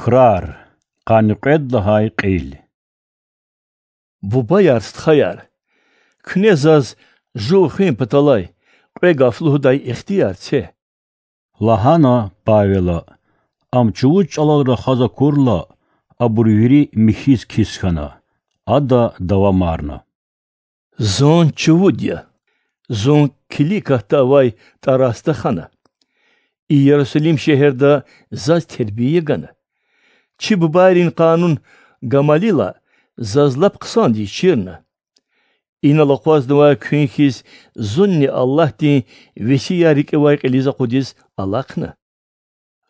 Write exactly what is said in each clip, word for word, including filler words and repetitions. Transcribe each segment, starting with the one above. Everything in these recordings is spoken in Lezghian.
Крар. Къанни кьвед лагьай кьил. Бубаяр, стхаяр, куьне заз жув хуьн паталай кьве гаф лугьудай ихтияр це,— лагьана Павела. Ам чувуд чӀалал рахаз акурла, абур вири михьиз кис хьана. Ада давамарна: Зун чувуд я. Зун Киликиятда авай Тарасда хана. И Ярусалим шегьерда заз тербия гана. Чи бубайрин къанун Гамалила заз лап хъсандиз чирна. Инал акъвазнавай куьн хьиз зунни Аллагьдин весияр рикӀивай кьилиз акъудиз алахъна.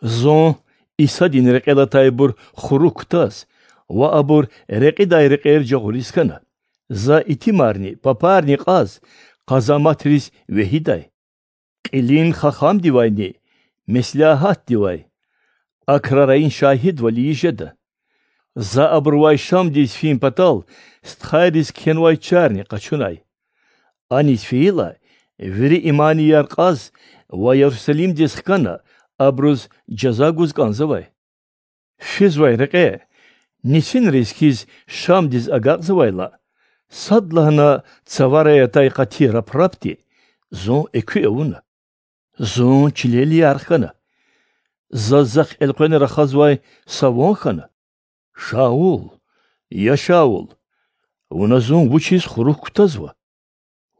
Зун Исадин рекьел атайбур хурук кутаз ва абур рекьидай рекьер жагъуриз хьана. За итимарни папарни кьаз къазаматриз вегьидай, кьилин хахамдивайни меслягьатдивай, а крарайин шагьидвал ийиз жеда. За абурувай Шамдиз фин патал стхайриз кхьенвай чарни къачунай. Аниз фейила, вири иманияр кьаз ва Ярусалимдиз хкана, абуруз жаза гуз кӀанзавай. Физвай рекье нисинриз хьиз Шамдиз агакьзавайла, садлагьана цаварай атай къати рапрапди зун экуь авуна. Зун чилел ярх хьана. Заз захъ элкъвена рахазвай са ван хьана. Шаул, я Шаул, вуна зун вучиз хурук кутазва?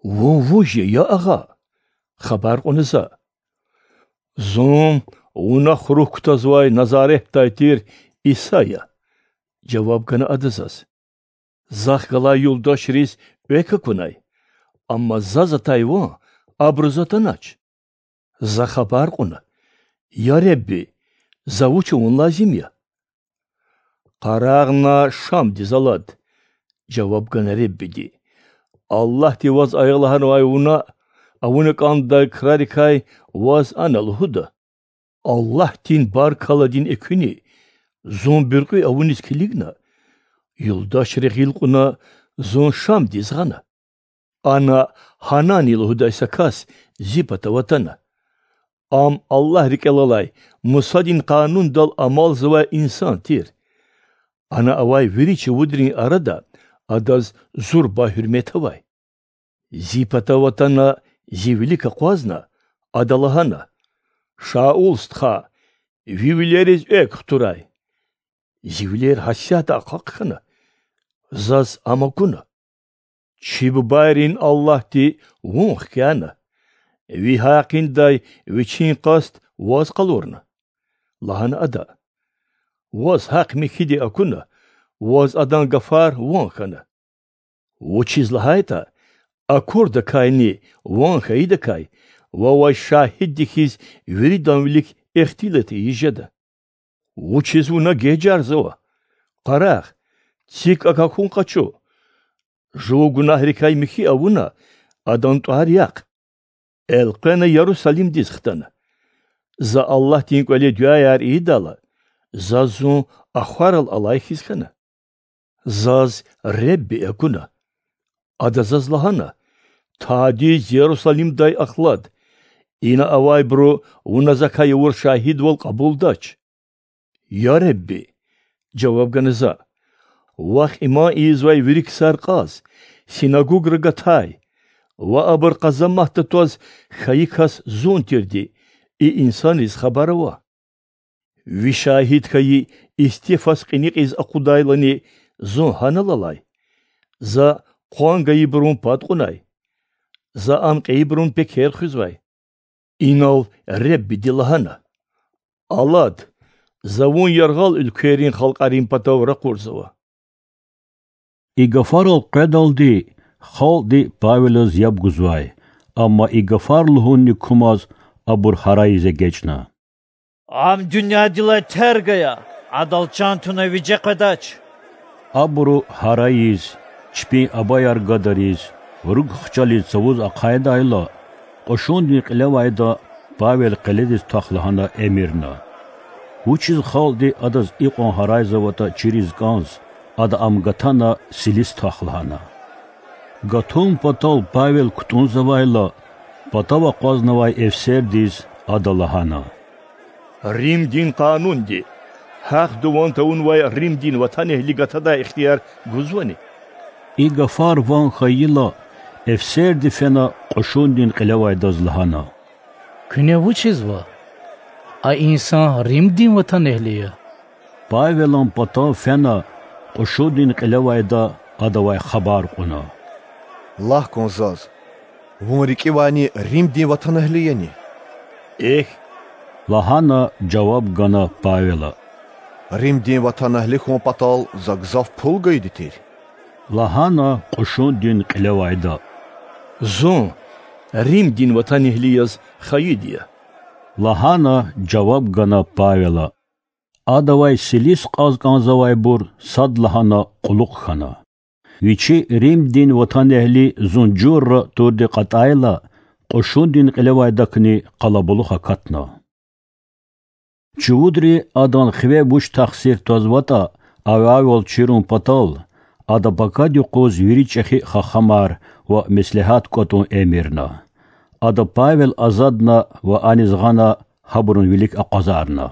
Вун вуж я, я Агъа? хабар кьуна за. Зун вуна хурук кутазвай Назаретдай тир Иса я,— жаваб гана ада заз. Захъ галай юлдашриз экв акунай, амма заз атай ван абуруз атанач. За хабар кьуна: Я Худа, за вуч авун лазим я? Къарагъна Шамдиз алад,— жаваб гана Худадиз. Аллагьди ваз ая лагьанвай вуна авуна кӀандай крарикай ваз ана лугьуда. Аллагьдин баркалладин экуьни зун буьркьуь авуниз килигна, юлдашри гъил кьуна зун Шамдиз гъана. Ана Гьанани лугьудай са кас зи патав атана. Ам Аллагь рикӀел алай Мусадин Къанундал амалзавай инсан тир. Ана авай вири чувудрин арада адаз зурба гьуьрмет авай. Зи патав атана, зи вилик акъвазна, ада лагьана: Шаул стха, ви вилериз экв хтурай. Зи вилер гьасятда ахъа хъхьана. Заз ам акуна: Чи бубайрин Аллагьди вун хкяна. Ви гьакъиндай вичин къаст ваз къалурна,— лагьана ада. Ваз гьахъ-михьиди акуна, ваз адан гафар ван хьана. Вучиз лагьайтӀа акурдакайни ван хьайидакай вавай шагьидди хьиз виридан вилик ихтилат ийиз жеда. Вучиз вуна гежарзава? Къарагъ, цик акахьун къачу. Жув гунагьрикай михьи авуна, адан тӀвар яхъ. Элкъвена Ярусалимдиз хтана. За Аллагьдин кӀвале дуьаяр ийидайла, заз зун ахварал алай хьиз хьана. Заз Худа акуна. Ада заз лагьана: Тадиз Ярусалимдай ахлад. Ина авайбуру вуна закай авур шагьидвал кьабулдач. Я Худа,— жаваб гана за,— вахъ иман ийизвай вири ксар кьаз, синагугра гатай ва абур къазаматда тваз хьайи кас зун тирди и инсанриз хабар ава. Ви шагьид хьайи Истифас кьиникьиз акъудайлани зун гьанал алай. За къван гайибурун пад кьунай. За ам кьейибурун пекер хуьзвай. Инал Худади лагьана: Алад, за вун яргъал уьлквейрин халкьарин патав ракъурзава. И гафарал къведалди халкьди Павелаз яб гузвай, амма и гафар лугьунни кумаз абур гьарайиз эгечӀна: Ам дуьньядилай терг ая, адал чан туна виже къведач. Абуру гьарайиз, чпин абаяр гадариз, руг хчализ цавуз ахъайдайла, кьушундин кьилевайда Павел къеледиз твах лагьана эмирна. Вучиз халкьди адаз икьван гьарайзаватӀа чириз кӀанз, ада ам гатана силис твах лагьана. Гатун патал Павел кутӀунзавайла, патав акъвазнавай эфсердиз ада лагьана: Римдин къанунди Гьахъ дуван тавунвай Римдин ватанэгьли гатадай ихтияр гузвани? И гафар ван хьайила, эфсерди фена кьушундин кьилевайдаз лагьана: Куьне вучзава? А инсан Римдин ватанэгьли я. Павелан патав фена кьушундин кьилевайда адавай хабар кьуна: Лагь кван заз, вун рикӀивайни Римдин ватанэгьли яни? Эхь,— лагьана жаваб гана Павела. Римдин ватанэгьли хьун патал за гзаф пул гайиди тир,— лагьана кьушундин кьилевайда. Зун Римдин ватанэгьли яз хайиди я,— лагьана жаваб гана Павела. Адавай силис кьаз кӀанзавайбур садлагьана кьулухъ хьана. Вичи Римдин ватанэгьли зун журра турди кьатӀайла, кьушундин кьилевайдакни къалабулух акатна. Чувудри адан хиве вуч тахсир твазватӀа, авайвал чирун патал, ада пакад юкъуз вири чӀехи хахамар ва меслягьат кӀватӀун эмирна. Ада Павел азадна ва аниз гъана гьабурун вилик акъвазарна.